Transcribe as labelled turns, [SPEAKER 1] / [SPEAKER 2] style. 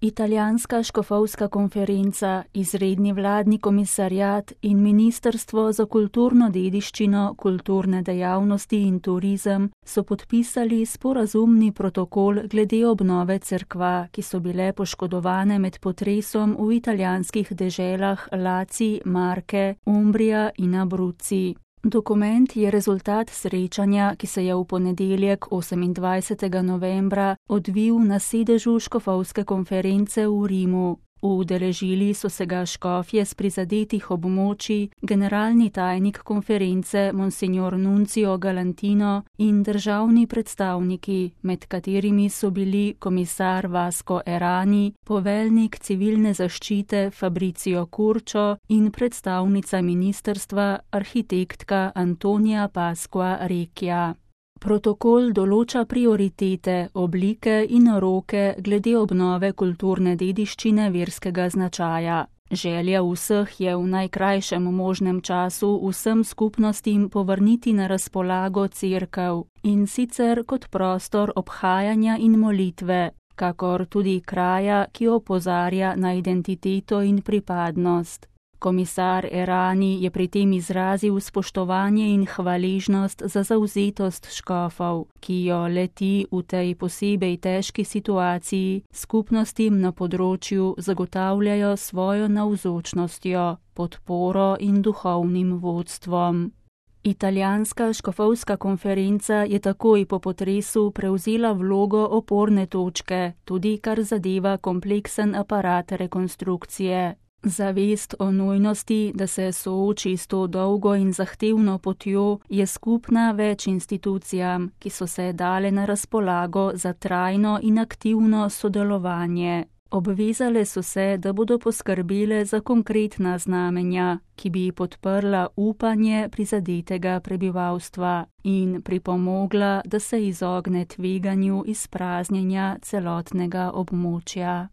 [SPEAKER 1] Italijanska škofovska konferenca, izredni vladni komisariat in Ministrstvo za kulturno dediščino, kulturne dejavnosti in turizem so podpisali sporazumni protokol glede obnove cerkva, ki so bile poškodovane med potresom v italijanskih deželah Laci, Marke, Umbrija in Abruzzi. Dokument je rezultat srečanja, ki se je v ponedeljek 28. novembra odvil na sedežu škofovske konference v Rimu. Udeležili so se ga škofje s prizadetih območij, generalni tajnik konference Monsignor Nunzio Galantino in državni predstavniki, med katerimi so bili komisar Vasco Errani, poveljnik civilne zaščite Fabrizio Curcio in predstavnica ministrstva arhitektka Antonia Pasqua Recchia. Protokol določa prioritete, oblike in roke glede obnove kulturne dediščine verskega značaja. Želja vseh je v najkrajšem možnem času vsem skupnostim povrniti na razpolago cerkev, in sicer kot prostor obhajanja in molitve, kakor tudi kraja, ki opozarja na identiteto in pripadnost. Komisar Errani je pri tem izrazil spoštovanje in hvaležnost za zavzetost škofov, ki jo le-ti v tej posebej težki situaciji skupnostim na področju zagotavljajo svojo navzočnostjo, podporo in duhovnim vodstvom. Italijanska škofovska konferenca je takoj po potresu prevzela vlogo oporne točke, tudi kar zadeva kompleksen aparat rekonstrukcije. Zavest o nujnosti, da se sooči s to dolgo in zahtevno potjo, je skupna več institucijam, ki so se dale na razpolago za trajno in aktivno sodelovanje. Obvezale so se, da bodo poskrbele za konkretna znamenja, ki bi podprla upanje prizadetega prebivalstva in pripomogla, da se izogne tveganju izpraznjenja celotnega območja.